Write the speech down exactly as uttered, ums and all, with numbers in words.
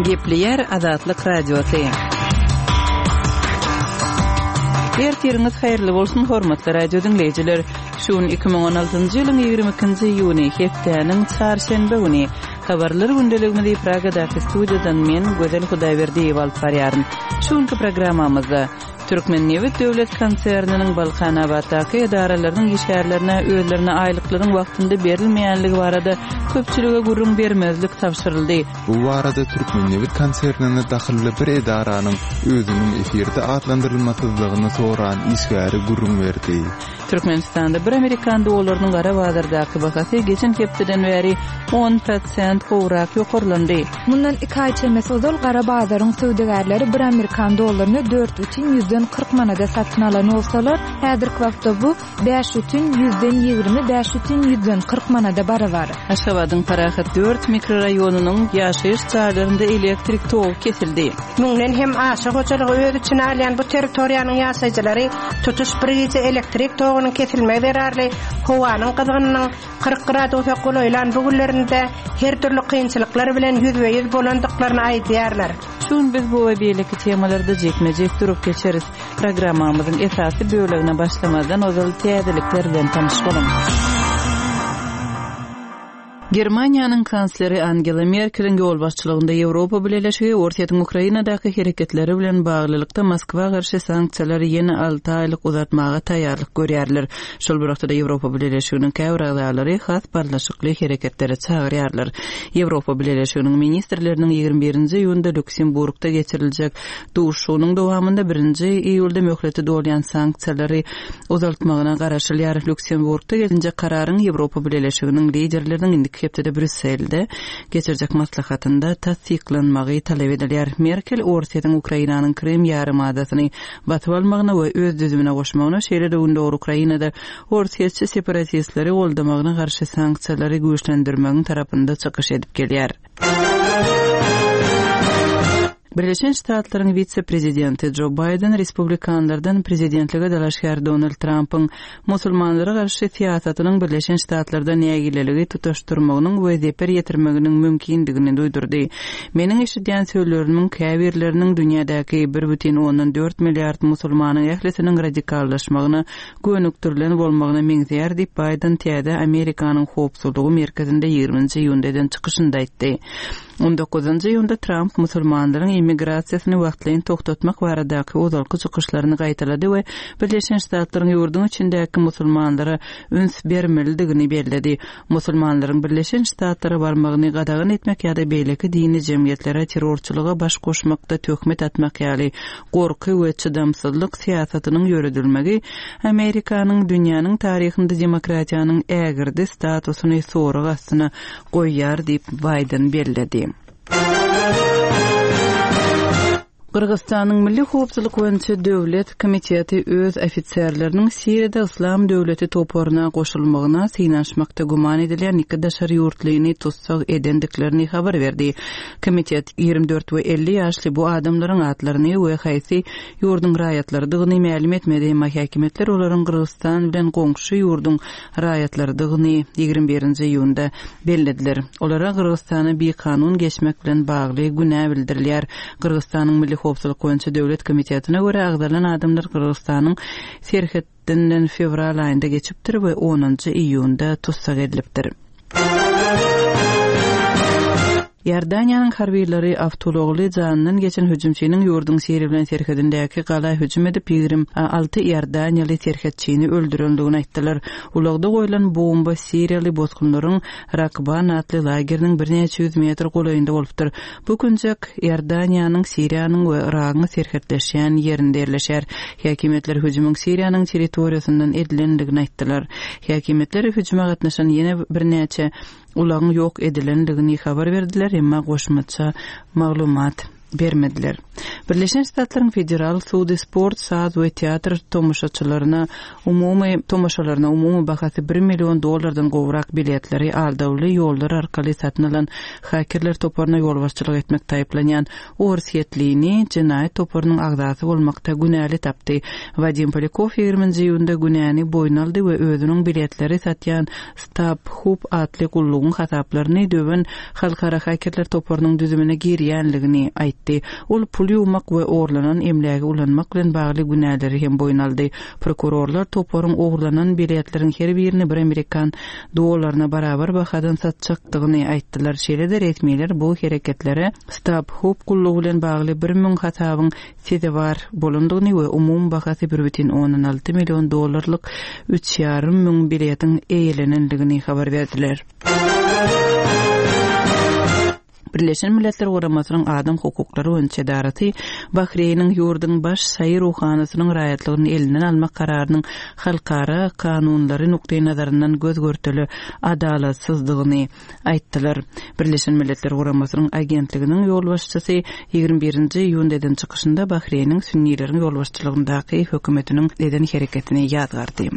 Gepleýär Azatlyk Radiosy. Ertiriňiz haýyrly bolsun, hormatly radio diňleýjiler. Şu gün iki müň on altynjy ýylyň ýigrimi ikinji iýuny, hepdäniň çarşenbe güni. Habarlar gündeligimizi Pragadaky studiýadan men, Gözel Hudaýberdiýewa alyp barýaryn. Şu günki programmamyzda Türkmennebit döwlet konserniniň Balkanabatdaky edaralarynyň işgärlerine özlerine aýlyklaryň wagtynda berilmeýänligi barada köpçülige gürrüň bermezlik tabşyryldy. Bu barada Türkmennebit konsernine dahylly bir edaranyň özüniň efirde atlandyrylmasyzlygyny soran işgäri gürrüň berdi. Türkmenistanda bir amerikan dollarynyň gara bazardaky bahasy geçen hepdeden bäri on prosent gowrak ýokarlandy. Mundan iki aý çemesi ozal gara bazaryň söwdagärleri bir amerikan dollaryny dört bütin ýüzden kyrk manada satyn alan bolsalar, häzirki wagtda bu bäş bütin ýüzden ýigrimi, bäş bütin ýüzden kyrk manada barabar. Aşgabadyň Parahat dört mikroraýonynyň ýaşaýyş jaýlarynda elektrik togy kesildi. Müňden hem aşa hojalygy öz içine alýan bu territoriýanyň ýaşaýjylary tutuş bir gije elektrik togunyň kesilmegi zerarly howanyň gyzgynynyň kyrk gradusa golaýlan bu günlerinde her dürli kynçylyklar bilen ýüzbe-ýüz bolandyklaryny aýdýarlar. Şu gün biz bu we beýleki temalarda jikme-jik durup geçeris. Programmamyzyň esasy bölegine başlamazdan ozal täzelikler bilen tanyş boluň. Germaniýanyň kansleri Angela Merkeliň ýolbaşçylygynda Ýewropa Bileleşigi Orsýetiň Ukrainadaky hereketleri bilen baglylykda Moskwa garşy sanksiýalary ýene alty aýlyk uzatmaga taýýarlyk görýärler. Şol bir wagtda Ýewropa Bileleşiginiň käbir agzalary has barlyşykly hereketlere çagyrýarlar. Ýewropa Bileleşiginiň ministrleriniň ýigrimi birinji iýunda Lüksemburgda geçiriljek duşuşygynyň dowamynda birinji iýulda möhleti dolýan sanksiýalary uzaltmagyna garaşylýar. Lüksemburgda gelinjek kararyň Ýewropa Bileleşiginiň liderleriniň indiki hepdede Brüsselde geçirjek maslahatynda tassyklanmagy talap edilýär. Merkel Orsýetiň Ukrainanyň Krym ýarymadasyny basyp almagyna we öz düzümine goşmagyna, şeýle-de Gündogar Ukrainada Orsýetçi separatistleri goldamagyna garşy sanksiýalary güýçlendirmegiň tarapynda çykyş edip gelýär. Birleşen Ştatlaryň wise-prezidenti Jo Baýden respublikanlardan prezidentlige dalaşgär Donald Trumpyň musulmanlara garşy syýasatynyň Birleşen Ştatlarda nägileligi tutaşdyrmagynyň we zeper ýetirmeginiň mümkindigini duýdurdy. Meniň eşidýän sözlerimiň käbirleriniň dünýädäki bir bütin ondan dört milliard musulmanyň ählisiniň radikallaşmagyna gönükdirilen bolmagyna meňzeýär diýip Baýden täze Amerikanyň howpsuzlygy merkezinde ýigriminji iýunda eden çykyşynda aýtdy. On dokuzynjy iýunda Trump musulmanlaryň immigrasiýasyny wagtlaýyn togtatmak baradaky ozalky çykyşlaryny gaýtalady we Birleşen Ştatlaryň ýurduň içindäki musulmanlara üns bermelidigini belledi. Musulmanlaryň Birleşen Ştatlara barmagyny gadagan etmek ýa-da beýleki dini jemgyýetlere terrorçylyga baş goşmakda töhmet atmak ýaly gorky we çydamsyzlyk syýasatynyň ýöredilmegi Amerikanyň dünýäniň taryhynda demokratiýanyň ägirdi statusyny sorag astyna goýýar diýip Baýden belledi. Gyrgyzystanyň Milli Howpsuzlyk boýunça Döwlet komiteti öz ofiserleriniň Siriýada Islam döwleti toparyna goşulmagyna synanyşmakda güman edilýän iki daşary ýurtlyny tussag edendiklerini habar berdi. Komitet ýigrimi dört we elli ýaşly bu adamlaryň atlaryny we haýsy ýurduň raýatlarydygyny mälim etmedi, emma häkimiýetler olaryň Gyrgyzystan bilen goňşy ýurduň raýatlarydygyny ýigrimi birinji iýunda bellediler. Olara Gyrgyzystana bikanun geçmek bilen bagly günä bildirilýär. Gyrgyzystanyň Milli Howpsuzlyk boýunça Döwlet komitetine görä agzalan adamlar Gyrgyzystanyň serhedinden fewral aýynda geçipdir we onunjy iýunda tussag edilipdir. Iordaniýanyň harbylary awtoulagly janyndan geçen hüjümçiniň ýurduň Siriýa bilen serhedindäki gala hüjüm edip ýigrimi alty iordaniýaly serhetçini öldürendigini aýtdylar. Ulagda goýlan bomba Siriýaly bosgunlaryň Rakban atly lageriniň birnäçe ýüz metr golaýynda bolupdyr. Bu künjek Iordaniýanyň, Siriýanyň we Yragyň serhetleşýän ýerinde ýerleşýär. Häkimiýetler hüjümiň Siriýanyň territoriýasyndan edilendigini aýtdylar. Häkimiýetler hüjüme gatnaşan ýene birnäçe ulagyň ýok edilendigini habar berdiler, emma goşmaça maglumat bermediler. Birleşen Ştatlaryň Federal sudy sport, saz we teatr tomaşaçylaryna umumy tomaşalaryna umumy bahasy bir million dollardan gowrak biletleri aldawly ýollar arkaly satyn alan hakerler toparyna ýolbaşçylyk etmekde aýyplanýan orsýetlini jenaýat toparynyň agzasy bolmakda günäli tapdy. Wadim Polýakow ýigriminji iýunda günäni boýun aldy we özüniň biletleri satýan StubHub atly gullugyň hasaplaryny döwen halkara hakerler toparynyň düzümine girýänligini aýtdy. Ol pul ýuwmak we ogurlanan emlägi ulanmak bilen bagly günäleri hem boýun aldy. Prokurorlar toparyň ogurlanan biletleriň her birini bir amerikan dollaryna barabar bahadan satjakdygyny aýtdylar. Şeýle-de resmiler bu hereketlere StubHub gullugy bilen bagly bir müň hasabyň sezewar bolandygyny we umumy bahasy bir bütin ondan alty million dollarlyk üç ýarym müň biletiň eýelenendigini habar berdiler. Birleşen Milletler Guramasynyň Adam hukuklary boýunça edarasy Bahreýniň ýurduň baş şaýy ruhanysynyň raýatlygyny elinden almak kararynyň halkara kanunlary nukdaýnazaryndan göz görteli adalatsyzdygyny aýtdylar. Birleşen Milletler Guramasynyň agentliginiň ýolbaşçysy ýigrimi birinji iýunda eden çykyşynda Bahreýniň sünnileriň ýolbaşçylygyndaky hökümetiniň eden hereketini ýazgardy.